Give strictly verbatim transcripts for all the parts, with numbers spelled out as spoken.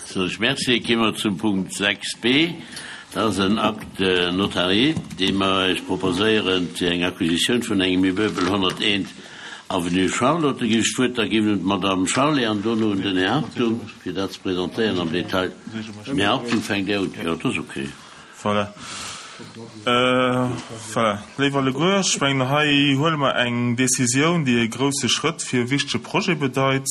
Soen ech Merci. Gi mer zum Punkt sechs b. Dat ass en Acte notarié, dee mer Iech proposéieren fir eng Acquisitioun vun engem Immeuble honnerteent Avenue Charlotte. Da ginn ech d'Wuert da ginn un d'Madame Charlé an dono un den Här Hartung, fir dat ze presentéieren am Detail. Den Här Hartung fänkt Är un. Jo, dat ass okay. Voilà. Voilà. Léif alleguer, ech mengen, hei huele mer eng Décisioun, déi e grouse Schrëtt fir e wichtege Projet bedeit.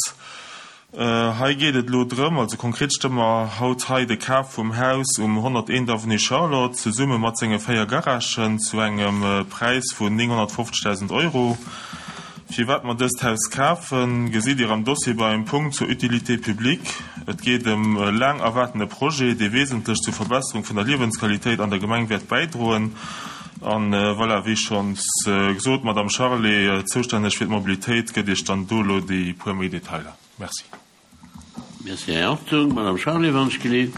Hei geet et elo drëm, also konkret stëmme mer haut hei de Kaf vum Haus um honnerteent Avenue Charlotte zesumme mat senge véier Garagen zu engem Präis vun nénghonnertfofzegdausend Euro. Firwat mer dëst Haus kafen, gesitt Dir am Dossier beim Punkt zur Utilité publique. Et geet ëm e laang erwaartene Projet, dee wesentlech zur Verbesserung vun der Liewensqualitéit an der Gemeng wäert bäidroen. An voilà, wéi schonns gesot, d'Madame Charlé, zoustänneg fir d'Mobilitéit, gëtt Iech dann do elo déi puer méi Detailer. Merci. Merci, Här Hartung. Madame Charlé, wann ech geleet.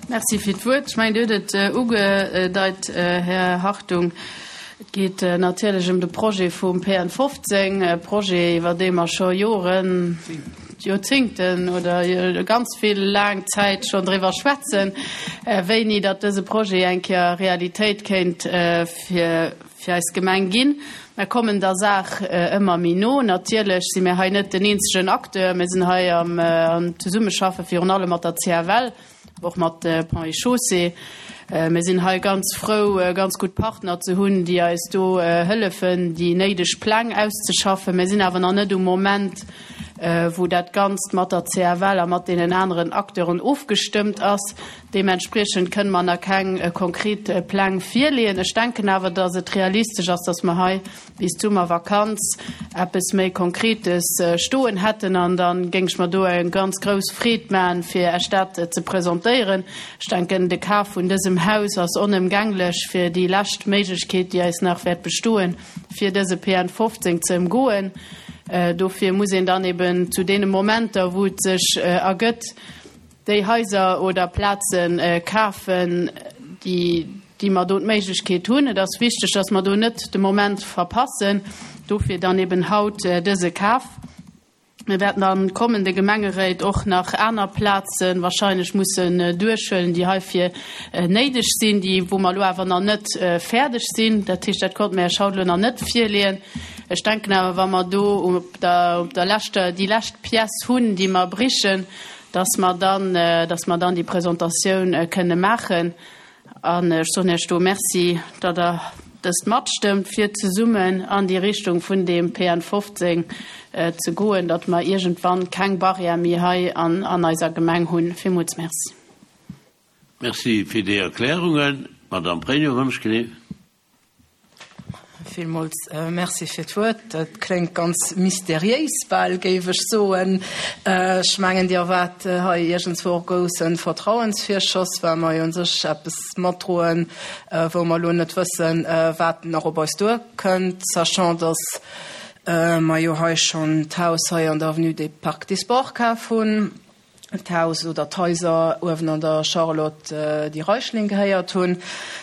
Merci fir d'Wuert. Ech mengen, Dir hutt et ugedeit, Här Hartung. Et geet natierlech ëm de Projet vum P N fofzéng, e Projet, iwwer dee mer scho Joren, Joerzéngten oder ganz vill laang Zäit schonn driwwer schwätzen, wéini datt dëse Projet eng Kéier Realitéit kéint fir, fir eis Gemeng ginn. Mir kommen der Saach ëmmer méi no. Natierlech si mir hei net den eenzegen Acteur. Mir sinn hei am, am Zesummeschaffe virun allem mat der C F L, och mat Ponts et Chaussées. Mir sinn hei ganz frou, ganz gutt Partner ze hunn, déi eis do hëllefen, déi néideg Pläng auszeschaffen. Mir sinn awer nach net um Moment, wou dat Ganzt mat der C F L a mat deenen aneren Acteuren ofgestëmmt ass. Deementspriechend kënnen mer nach keng konkret Pläng virleeën. Ech denken awer, dass et realistesch ass, dass mer hei bis d'Summervakanz eppes méi Konkretes stoen hätten, an dann géing ech mer do eng ganz grouss Freed maachen, fir Iech dat ze presentéieren. Ech denken, de Kaf vun dësem Haus ass onëmgänglech fir déi lescht Méiglechkeet, déi eis nach wäert bestoen, fir dëse P N fofzéng ze ëmgoen. Dofir muss een dann eben zu deene Momenter, wou et sech ergëtt, déi Haiser oder Plazen kafen, déi, déi mer do d'Méiglechkeet hunn. Et ass wichteg, dass mer do net de Moment verpassen. Dofir dann eben haut dëse Kaf. Mir wäerten am kommende Gemengeréit och nach aner Plazen wahrscheinlech mussen duerchhuelen, déi heifir néideg sinn, déi, wou mer elo awer nach net fäerdeg sinn. Dat heescht, dat konnte mir Iech haut elo nach net virleeën. Ech denken awer, wa mer do op der, op der leschter, déi lescht Pièce hunn, déi mer brichen, dass mer dann, dass mer dann déi Presentatioun kënne maachen. An ech soen Iech do Merci, datt Der dëst matstëmmt, fir zesummen an déi Richtung vun dem P N fofzéng ze goen, datt mer iergendwann keng Barrière méi hei an, an eiser Gemeng hunn. Villmools Merci. Merci fir déi Erklärungen. Madame Pregno, wann ech geleet. Villmools Merci fir d'Wuert. Dat kléngt ganz mysteriéis bal, géif ech soen. Ech mengen, Dir erwaart hei iergendswou och grousse Vertrauensvirschoss, well mer jo un sech eppes matdroen, wou mer elo net wëssen, wat nach op eis duerkënnt, sachant dass mer jo hei schonn d'Haus hei an der Avenue des Parcs des Sports kaf hunn, d'Haus oder d'Haiser uewen an der Charlotte, déi Reichling gehéiert hunn,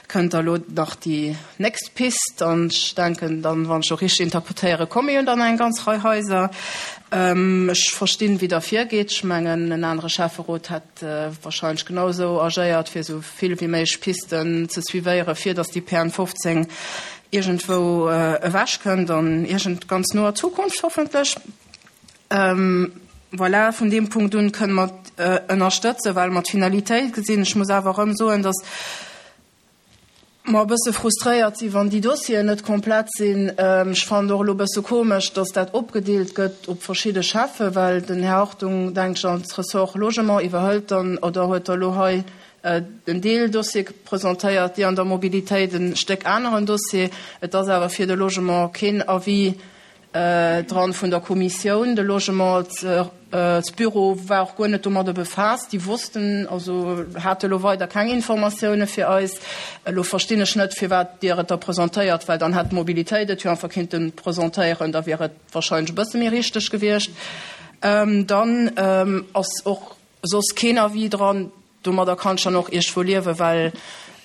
kënnt da lo nach déi nächst Pist. An ech denken dann, wann ech och richtig interpretéiere, komme jo dann eng ganz Rei Haiser. Ech verstinn, wéi der virgeet. Ech mengen, en anere Schäfferot hätt wahrscheinlech genauso agéiert, fir esou vill wéi méiglech Pisten ze suivéieren, fir dass déi P N fofzéng iergendwou ewech kënnt an iergend ganz noer Zukunft hoffentlech. Voilà, vun deem Punkt un kënne mer ënnerstëtzen, well mer d'Finalitéit gesinn. Ech muss awer erëm soen, dass mer e bësse frustréiert sinn, wann déi Dossieren net komplett sinn. Ech fand och elo e bësse komesch, dass dat opgedeelt gëtt op verschidde Chefe, well den Här Hartung, denk ich, als Ressort Logement iwwerhëlt dann oder huet da elo hei den Deeldossier presentéiert, déi an der Mobilitéit en Stéck aneren Dossier. Et ass awer fir de Logement keen Avis dran vun der Kommissioun. De Logement als Büro war och guer net domadder befaasst. Déi wossten, also hate lo weider keng Informatioune fir eis. Elo verstinn ech net, firwat Dir et da presentéiert, well dann hätt d'Mobilitéit et jo einfach kinnten presentéieren, da wier et wahrscheinlech e bësse méi richteg gewiescht. Dann ass och soss keen Avis dran. Domadder kann ich dann och iergendwou liewen, well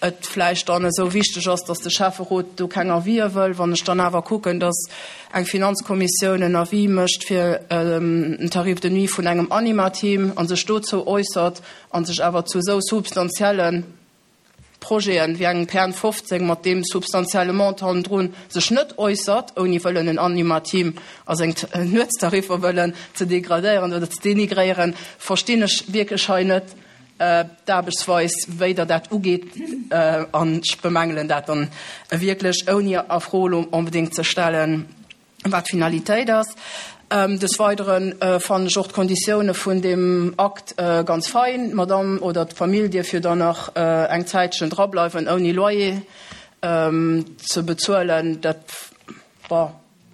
et vläicht dann esou wichteg ass, dass de Schäfferot do keng Avisë wëll. Wann ech dann awer kucken, dass eng Finanzkommissioun en Avis mécht fir en Tarif de nuit vun engem Anima-Team a sech dozou äussert a sech awer zu esou substantielle Projeten wéi engem P N fofzéng mat deem substantielle Montant hannendrun sech net äussert, ouni wëllen en Anima-Team a seng Nuetstariffer wëllen ze degradéieren oder ze denigréieren, verstinn ech wierklech hei net d'Aarbechtsweis, wéi Der dat ugeet, an ech bemängelen dat dann wierklech, ouni a Fro elo onbedéngt ze stellen, wat d'Finalitéit ass. Des Weidere fannen ech och d'Konditioune vun deem Akt ganz fein. D'Madame oder d'Famill dierf jo dann nach eng Zäitchen drableiwen, ouni Loyer ze bezuelen. Dat, bon,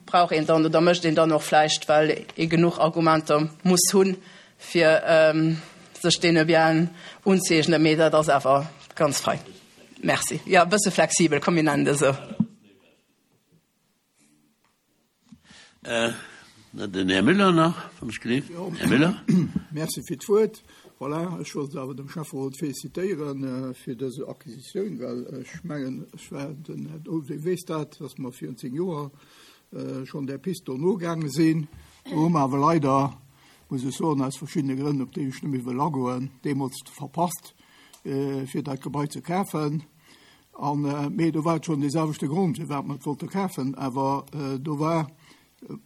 brauch een dann oder mécht een dann och vläicht, well ee genuch Argumenter muss hunn, fir sech deene Bienen unzëeegnen. Mee dat ass awer ganz fein. Merci. Jo, e bësse flexibel, komm mir nennen et esou. Den Här Müller nach, wann ech gleef. Här Müller. Merci fir d'Wuert. Voilà, ech wollt awer dem Schäfferot félicitéiere fir dës Acquisitioun, well ech mengen, ech war den Här Olivier weess dat, dass mer virun zéng Joer schonn där Pist do nogaange sinn. Do hu mer awer leider, muss ech soen, aus verschiddene Grënn, op déi ech net méi wëll agoen, deemools verpasst, fir dat Gebai ze kafen. An, mee do war et schonn dee selwechte Grond, firwat mer et wollte kafen, awer do war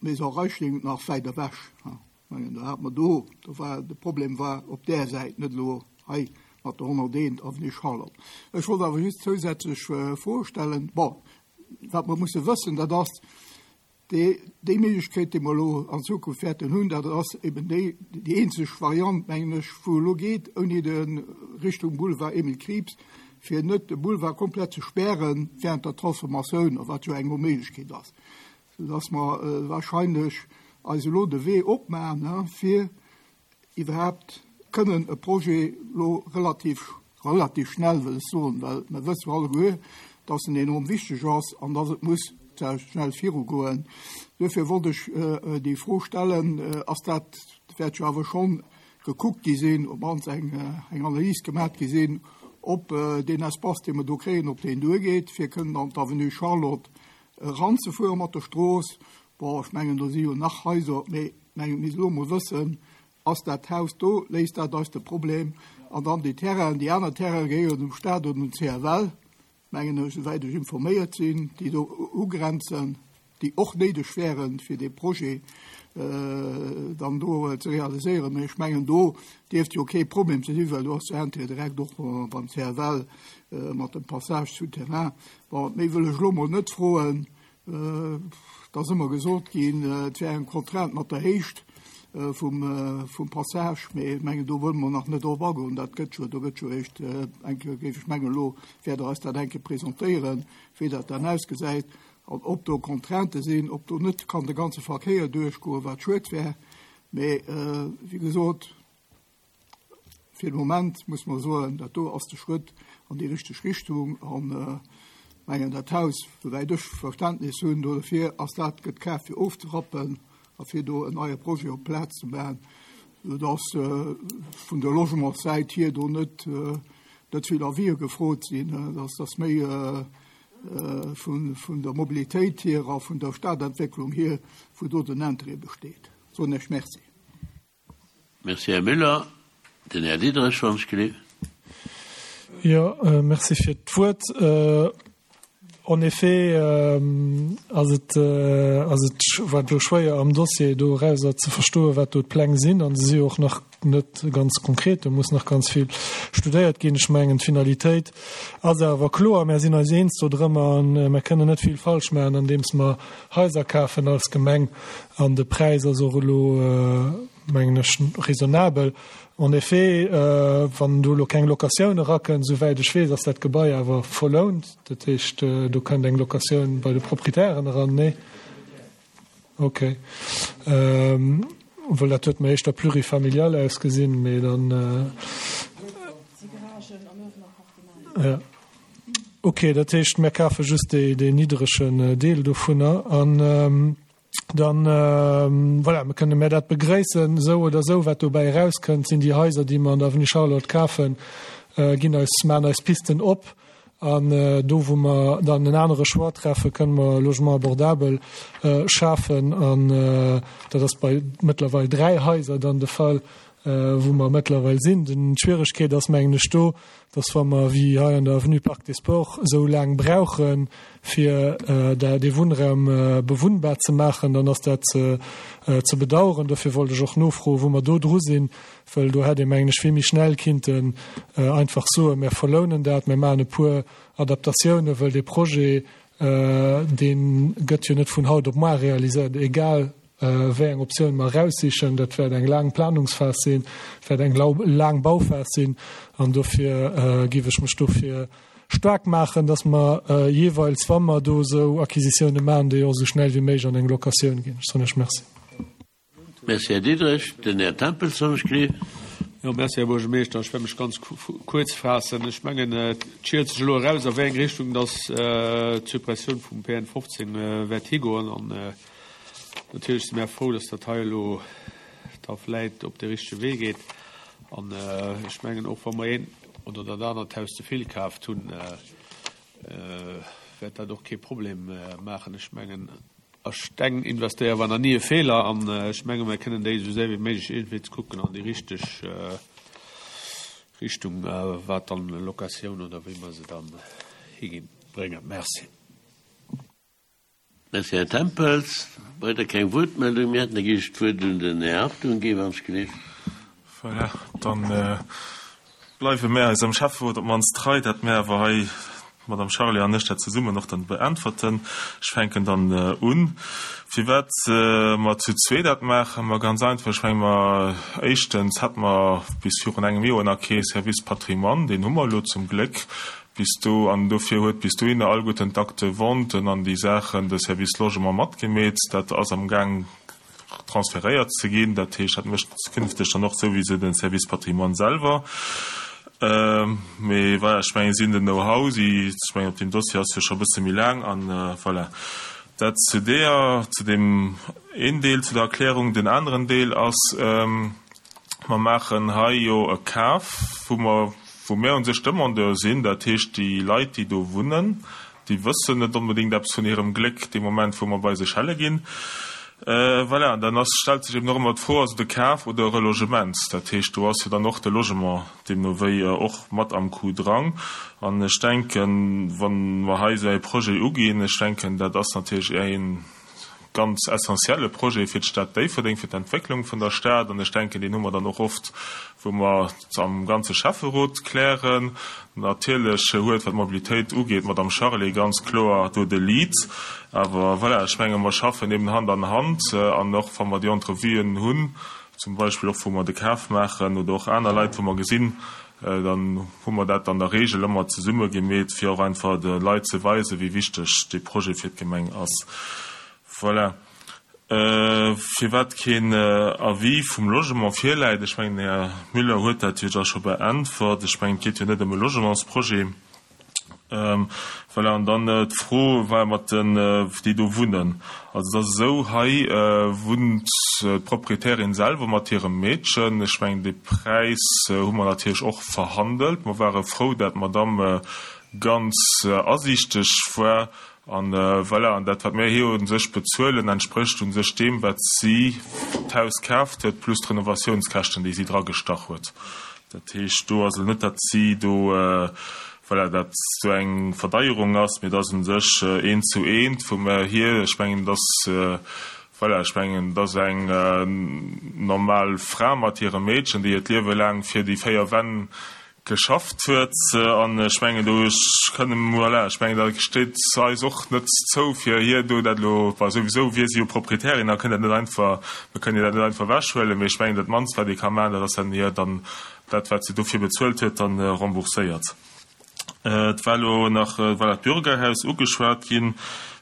d'Maison Reichling nach wäit ewech. Ech mengen, do hat mer do, do war de Problem war op där Säit, net elo hei mat der honnerteent Avenue Charlotte. Ech wollt awer just zousätzlech Froe stellen. Bon, wat mer musse wëssen, dat ass, déi, déi Méiglechkeet, déi mer elo an Zukunft wäerten hunn, dat ass eben déi, déi eenzeg Variant, mengen ech, wou elo geet, ouni de Richtung Boulevard Emile Krieps, fir net de Boulevard komplett ze spären während der Transformatioun, wat jo eng Onméiglechkeet ass, soudass mer wahrscheinlech eis elo de Wee opmaachen, fir iwwerhaapt kënnen e Projet elo relativ, relativ schnell, wëll ech soen, well mer wësse jo alleguer, dass en enorm wichteg ass an dass et muss schnell virugoen. Duerfir wollt ech déi Fro stellen, ass dat, wäert jo awer schonn gekuckt gi sinn, op d'mannst eng, eng Analys gemaach gi sinn, ob deen Espace, dee mer do kréien, ob deen duergeet, fir kënnen an d'Avenue Charlotte eranzefuere mat der Strooss. Bon, ech mengen, do si jo nach Haiser, mee ech mengen, mir misst elo emol wëssen, ass dat Haus do, léist dat eis de Problem? An dann déi Terrainen, déi aner Terraine gehéieren dem Staat oder dem C F L, mengen ech, esouwäit ech informéiert sinn, déi do ugrenzen, déi och néideg wären, fir dee Projet dann do ze realiséieren. Mee ech mengen, do dierft jo kee Problem ze sinn, well do ass jo Entrée direkt och beim C F L mat dem Passage souterrain. Bon, méi wëll ech elo mol net froen. Et ass ëmmer gesot ginn, et wär eng Contrainte mat der Héicht vum, vum Passage, mee ech mengen, do wëlle mer nach net drop agoen. Dat gëtt jo, do gëtt jo eréischt eng Kéier, géif ech mengen, elo wäert Der eis dat eng Kéier presentéieren, wéi dat dann ausgesäit an ob do Contraintë sinn, ob do net kann de ganze Verkéier duerchgoen, wat schued wär. Mee wéi gesot, fir de Moment muss man soen, dat do ass de Schrëtt an déi richteg Richtung. An mengen, dat Haus, souwäit ech Verständnis hunn dofir, ass dat gëtt kaf fir ofzerappen a fir do en neie Projet op d'Plaz ze maachen, soudass vun der Logementssäit hier do net, net vill Avisë gefrot sinn, dass das méi vun, vun der Mobilitéit hier a vun der Stadentwécklung hier, wou do den Intérêt besteet. Soen ech Merci. Merci, Här Müller. Den Här Diderich, wann ech gelift. Jo, merci fir d'Wuert. En effet ass et, ass et, war et elo schwéier am Dossier do erauser ze verstoen, wat do d'Pläng sinn, an se si jo och nach net ganz konkret, do muss nach ganz vill studéiert ginn. Ech mengen, d'Finalitéit ass awer kloer, mär sinn eis eens do drëmmer an mär kënnen net vill falsch maachen, andeems mer Haiser kafen als Gemeng, an de Präis ass och elo, mengen ech, raisonnabel. En effet, wann do elo keng Locatioun erakënnt, souwäit ech weess, ass dat Gebai awer verlount. Dat heescht, do kënnt eng Locatioun bei de Proprietären eran, nee? Okay. Well dat huet mer éischter plurifamilial ausgesinn, mee dann. Ja. Okay, dat heescht, mir kafe just dee, deen niddregen Deel dovunner an. Dann, voilà, mir kënne mir dat begréissen, esou oder esou, wat dobäi erauskënnt, sinn déi Haiser, déi mer an der Avenue Charlotte kafen, ginn eis, maachen eis Pisten op An do, wou mer dann en anere Choix treffen, kënne mer Logement abordabel schafen. An dat ass bei mëttlerweil dräi Haiser dann de Fall, wou mer mëttlerweil sinn. D'Schwieregkeet ass, mengen ech, do, dass wa mer wéi hei an der Avenue Parc des Sports esou laang brauchen, fir dee Wunnraum bewunnbar ze maachen, dann ass dat ze bedauern. Dofir wollt ech och nofroen, wou mer do dru sinn, well do hätt ee, mengen ech, vill méi schnell kinnten einfach soen, Mir verlounen dat, mir maachen e puer Adaptatiounen, well dee Projet, dee gëtt jo net vun haut op muar realiséiert, egal wéi eng Optioun mer eraussichen. Dat wäert eng laang Planungsphas sinn, wäert eng laang Bauphas sinn an dofir géif ech mech dofir staark maachen, dass mer jeeweils, wa mer do esou Acquisitiounen maachen, déi och esou schnell wéi méiglech an eng Locatioun ginn. Ech soen Iech Merci. Merci, Här Diderich. Den Här Tempels, wann ech gleef. Jo, merci, Här Buergermeeschter. Ech wäert mech ganz kuerz faassen. Ech mengen, et schielt sech elo eraus, a wéi eng Richtung dass d'Suppressioun vum P N fofzéng wäert higoen. An natierlech si mär frou, dass dat hei elo da vläit op de richtege Wee geet. An ech mengen, och wa mer een oder dat anert Haus ze vill kaaft hunn, wäert dat och kee Problem maachen. Ech mengen, a Steng investéiere war nach ni e Feeler. An ech menge mer kënnen déi esou séier wéi méiglech iergendwéi ze kucken an déi richteg Richtung, wat dann Locatioun oder wéi mer se dann higinn, bréngen. Merci. Merci, Här Tempels. Weider keng Wuertmeldung. Mir hätten da géif ech d'Wuert un den Här Hartung ginn, wann ech gleef. Voilà, dann bleiwe mär eisem Schäfferot op d'mannst trei, dat mär awer hei, d'Madame Charlé an ech, dat zesummen och dann beäntwerten. Ech fänken dann un. Firwat mer zu zwee dat maachen? Ma ganz einfach, ech menge mer, éischtens hätte mer bis virun engem Joer nach kee Service Patrimoine, deen hu mer elo zum Gléck bis do, an dofir huet bis dohinner alleguerten d'Acte de vente an déi Saachen de Service Logement matgemeet. Dat ass am Gaang transferéiert ze ginn. Dat heescht, dat mécht künfteg dann och souwisou den Service Patrimoine selwer. Mee voilà, ech mengen, si hunn den Know-how, si, ech mengen, op deem Dossier ass jo scho e bësse méi laang an voilà. Dat zu deeër, zu deem een Deel zu der Erklärung. Den aneren Deel ass, mer maachen hei jo e Kaf, wou mer, wou mir u sech Demandeur sinn, dat heescht déi Leit, déi do wunnen, déi wëssen net onbedéngt eppes vun hirem Gléck dee Moment, wou mer bei se schelle ginn. Voilà, an dann ass, stellt sech eben och ëmmer d'Fro, ass et e Kaf oder e Relogement? Dat heescht, do ass jo dann och de Logement deemno wéi och mat am Coup drang. An ech denken, wa mer hei esou e Projet uginn, ech denken, dat ass natierlech ee ganz essentielle Projet fir d'Stad Déifferdeng, fir d'Entwécklung vun der Stad. An ech denken, deen hu mer dann och oft, wou mer am ganze Schäfferot klären. Natierlech huet, wat d'Mobilitéit ugeet, d'Madame Charlé ganz kloer do de Lead. Awer voilà, ech menge mer schaffen eben Hand an Hand. An och wa mer déi Entrevuen hunn, zum Beispill och wou mer de Kaf maachen oder och aner Leit, wou mer gesinn, dann hu mer dat an der Regel ëmmer zesumme gemeet, fir och einfach de Leit ze weisen, wéi wichteg dee Projet fir d'Gemeng ass. Voilà. Firwat keen Avis vum Logement virläit, ech mengen, den Här Müller huet dat jo da scho beäntwert. Ech mengen, et geet jo net ëm e Logementsprojet. Voilà, an dann d'Fro war mat den, déi do wunnen. Also et ass esou, hei wunnt d'Proprietärin selwer mat hirem Meedchen. Ech mengen, dee Präis hu mer natierlech och verhandelt. Mer ware frou, dat d'Madame ganz asiichteg war. An voilà, an dat, wat mir hir u sech bezuelen, entsprécht u sech deem, wat si d'Haus kaaft huet, plus d'Renovatiounskäschten, déi si dragestach huet. Dat heescht, do ass elo net, datt si do, voilà, datt do eng Verdeierung ass, mee et ass u sech eent zu eent, wou mir hir, ech mengen, et ass, voilà, ech mengen, et ass eng normal Fra mat hirem Meedchen, déi hiert Liewe laang fir déi véier Wänn geschafft huet, an ech mengen do kënne, voilà, ech mengen da steet eis och net zou fir hir do dat elo, bah souwisou wier si jo Proprietärin a kënnt dat net einfach, mir kënnen hir dat net einfach ewechhuelen, mee ech mengen dat mannst wat ee ka maachen, dat ass dann hir dann dat wat si dofir bezuelt huet dann rembourséiert. Et war elo nach, voilà, d'Bürgerhaus ugeschwat ginn.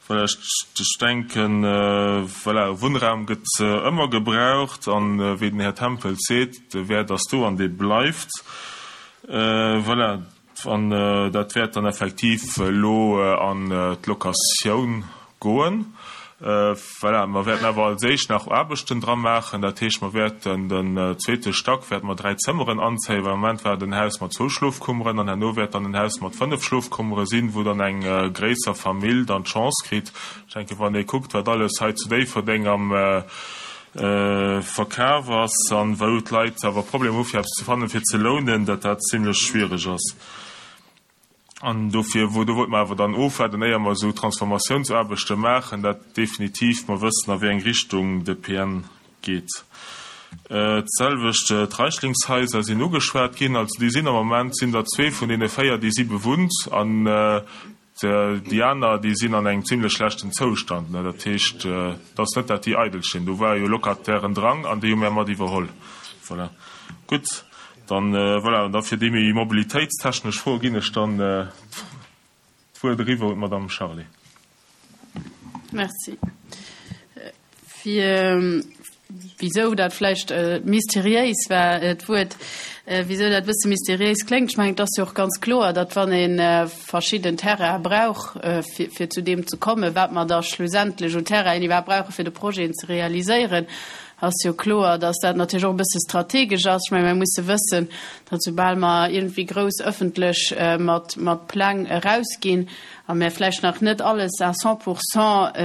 Voilà, ech, ech denken, voilà, Wunnraum gëtt ëmmer gebraucht an wéi den Här Tempels seet, de Wäert ass do an dee bleift. Voilà, an dat wäert dann effektiv elo an d'Locatioun goen. Voilà, mer wäerten awer als éischt nach Aarbechten dra maachen. Dat heescht, mer wäerten den zweete Stack wäerte mer dräi Zëmmeren anzéien, well am Moment war et en Haus mat zwou Schlofkummeren an herno wäert dann en Haus mat fënnef Schlofkummere sinn, wou dann eng gréisser Famill dann d'Chance kritt. Ech denken, wann ee kuckt, wat alles hei zu Déifferdeng am Verkaf ass an wou d'Leit awer Problemer hu fir eppes ze fannen, fir ze lounen, datt dat zimlech schwiereg ass. An dofir, wou, do wollte mer awer dann ofwaarden, éier mer esou Transformatiounsaarbechte maachen, dat definitiv mer wëssen, a wéi eng Richtung de P N geet. D'selwecht d'Reichlingshaiser sinn ugeschwat ginn. Also déi sinn am Moment, sinn der zwee vun deene véier, déi si bewunnt, an déi aner, déi sinn an engem zimlech schlechten Zoustand. Dat heescht, et ass net, dat déi eidel stinn. Do war jo Locatairen drang an déi hu mir mat iwwerholl. Voilà. Gutt. Dann, voilà, an da fir déi méi mobilitéitstechnesch Froe ginn ech dann d'Wuert eriwwer un d'Madame Charlé. Merci. Fir wisou dat vläicht mysteriéis war, d'Wuert, wisou dat e bësse mysteriéis kléngt, ech mengen, et ass jo och ganz kloer, datt wann ee verschidden Terraine brauch, fir, fir zu deem ze kommen, wat mer da schlussendlech un Terrainen iwwerhaapt brauchen, fir de Projeten ze realiséieren, ass jo kloer, datt dat natierlech och e bësse strategesch ass. Ech mengen, mir musse wëssen, datt soubal mer iergendwéi grouss ëffentlech mat, mat Pläng erausginn a mir vläicht nach net alles à cent pour cent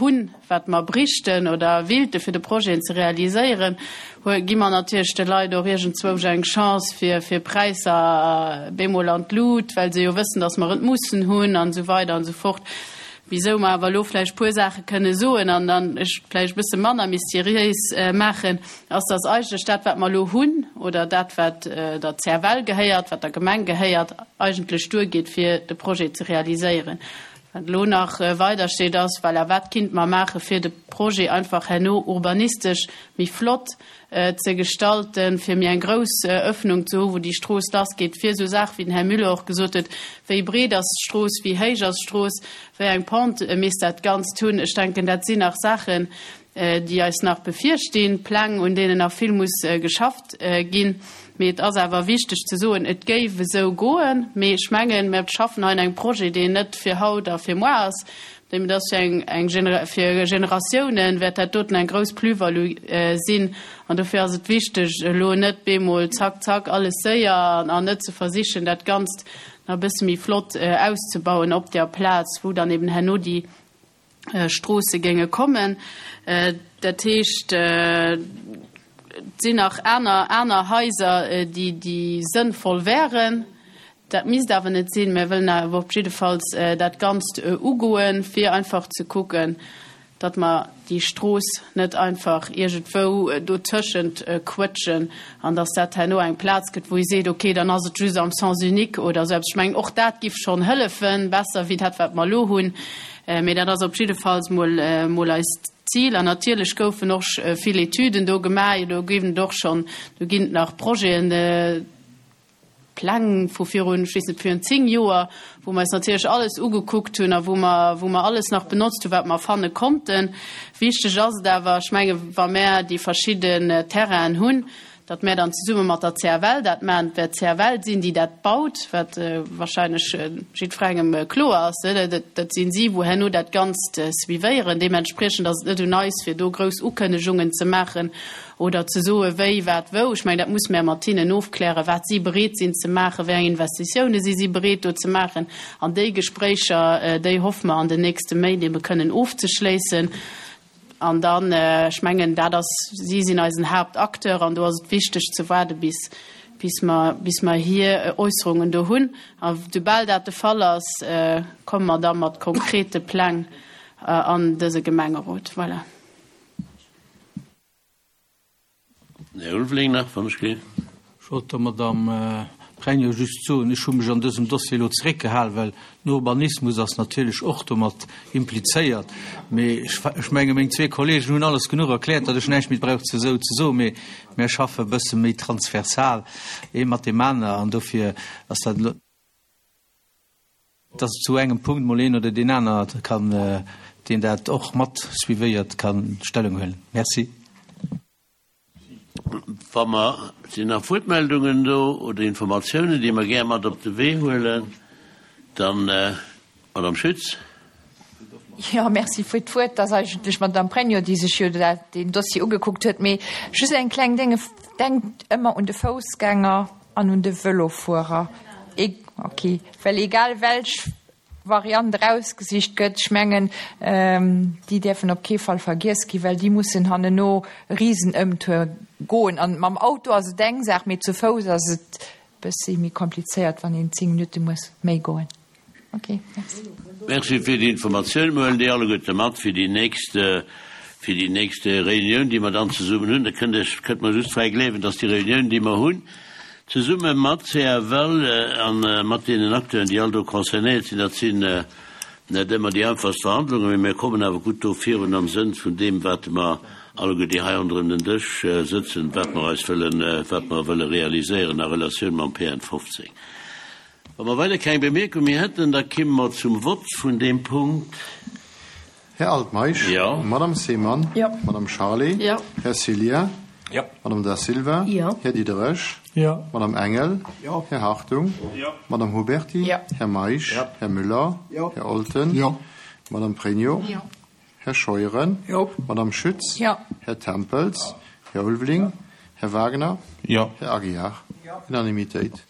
hunn, wat mer bräichten oder willte fir de Projeten ze realiséieren, gi mer natierlech de Leit och iergendzwousch eng Chance fir, fir Präisser bemol an d'Lut, well se jo wëssen, datt mer et mussen hunn an esou weider an esou fort. Wisou mer awer elo vläicht puer Saache kënne soen an dann ech vläicht e bësse manner mysteriéis maachen, ass, dass eigentlech dat, wat mer elo hunn, oder dat, wat der C F L gehéiert, wat der Gemeng gehéiert, eigentlech duergeet, fir de Projet ze realiséieren. Wat elo nach weider steet, ass, voilà, wat kinnt mer maache fir de Projet einfach herno urbanistesch méi flott ze gestalten, fir méi eng grouss Öffnung ze hu, wou déi Strooss lassgeet, fir esou Saachen, wéi den Här Müller och gesot huet, wéi breet ass d'Strooss, wéi héich ass d'Strooss, wéi eng Pente misst dat Ganzt hunn. Ech denken, dat sinn nach Saachen, déi eis nach bevirstinn, Pläng, un deenen nach vill muss geschafft ginn. Mee et ass awer wichteg ze soen, et géif esou goen, mee ech mengen, mir schaffen hei an engem Projet, deen net fir haut a fir muer ass, dem das fir eng, eng Genera-, fir Generatiounen wäert dat doten eng grouss Plus-value sinn. An dofir ass et wichteg, elo net bemol zack, zack, alles séier an, an net ze versichen, dat Ganzt nach e bësse méi flott auszebauen op der Plaz, wou dann eben herno déi Stroosse géinge kommen. Dat heescht, et sinn nach aner, aner Haiser, déi, déi sënnvoll wären. Dat misst awer net sinn. Mir wëllen awer op jiddefalls dat Ganzt ugoen, fir einfach ze kucken, datt mer déi Strooss net einfach iergendwou dotëschent quëtschen an datt dat herno eng Plaz gëtt, wou ee seet, okay, dann ass et just am Sens unique oder sou eppes. Ech mengen, och dat giff schonn hëllefen, besser wéi dat, wat mer elo hunn. Mee dat ass op jiddefalls mol, mol eist Ziel. An natierlech goufen och vill Etüden do gemaach, do ginn et och schonn, do ginn et nach Projeten, Pläng vu virun, ech weess net, virun zéng Joer, wou mer eis natierlech alles ugekuckt hunn a wou mer, wou mer alles nach benotzt hunn, wat mer fanne konnten. Wichteg ass et awer, ech menge, wa mer déi verschidden Terrainen hunn, datt mer dann zesumme mat der C F L dat maachen, et wäert C F L sinn, déi dat baut, wat wahrscheinlech jiddwerengem kloer ass, ne? Dat, dat sinn si, wou herno dat Ganzt suivéieren. Deementspriechend ass et net un eis, fir do grouss Ukënnegungen ze maachen oder ze soen, wéi, wat, wou. Ech mengen, dat muss mer mat hinnen ofklären, wat si bereet sinn ze maachen, wéi eng Investitiounen si si bereet do ze maachen. An déi Gespréicher, déi hoffe mer an den nächste Méint ebe kënnen ofzeschléissen. An dann, ech mengen, dat ass, si sinn eisen Hauptakteur an do ass et wichteg ze waarde bis, bis mer, bis mer hier Äusserungen do hunn. A sobal dat de Fall ass, komme mer da mat konkrete Pläng an dëse Gemengerot. Voilà. Här Ulveling nach, wann ech gehe. Ech wollt der Madame Pregno just soen, ech hu mech an dësem Dossier elo zeréckgehalen, well den Urbanismus ass natierlech och domat implizéiert. Mee ech, ech menge, meng zwee Kollegen hunn alles genuch erkläert, datt ech näischt méi brauch ze sou ze soen, mee mir schaffe e bësse méi transversal ee mat deem aner an dofir ass dat elo, dass zu engem Punkt mol een oder deen aner kann, deen dat och mat suivéiert, kann Stellung huelen. Merci. Wa mer sinn nach Wuertmeldungen do oder Informatiounen, déi mer gär mat op de Wee huelen, dann, Madame Schütz. Jo, merci fir d'Wuert. Et ass eigentlech d'Madame Pregno, déi sech jo dat, deen Dossier ugekuckt huet. Mee just eng kleng Dénge, Denkt ëmmer un de Foussgänger an un de Vëlofuerer. Ok, well egal welch Variant erausgesicht gëtt, ech mengen, déi däerfen op kee Fall vergiess ginn, well déi mussen hanneno e Risenëmtour goen. An mam Auto ass et eng Saach, mee zu Fouss ass et e bëssi méi komplizéiert, wann een zéng Minutte muss méi goen. Ok, merci. Merci fir déi Informatioun. Mir huelen déi alleguerte mat fir déi nächst, fir déi nächst Reunioun, déi mer dann zesummen hunn. Da kënnt Iech, kënnt mer just fräi gleewen, dass déi Reunioun, déi mer hunn, zesumme mat CFL a mat deenen Acteuren, déi all do concernéiert sinn, dat sinn net ëmmer déi einfachst Verhandlungen, mee mir kommen awer gutt do virun am Sënn vun deem, wat mer alleguer, déi hei ronderëm den Dësch sëtzen, wat mer eis wëllen, wat mer wëlle realiséieren a Relatioun mam P N fofzéng. Wa mer weider keng Bemierkung méi hätten, da kimme mer zum Vott vun deem Punkt. Här Altmeisch. Jo. Madame Seemann. Jo. Madame Charlé. Jo. Här Cillien. Jo. Madame Da Silva. Jo. Här Diderich. Jo. Madame Engel. Jo. Här Hartung. Jo. Madame Huberty. Jo. Här Meisch. Jo. Här Müller. Jo. Här Olten. Jo. Madame Pregno. Jo. Här Scheuren. Jo. Madame Schütz. Jo. Här Tempels. Här Ulveling. Här Wagner. Jo. Här Aguiar. Unanimitéit.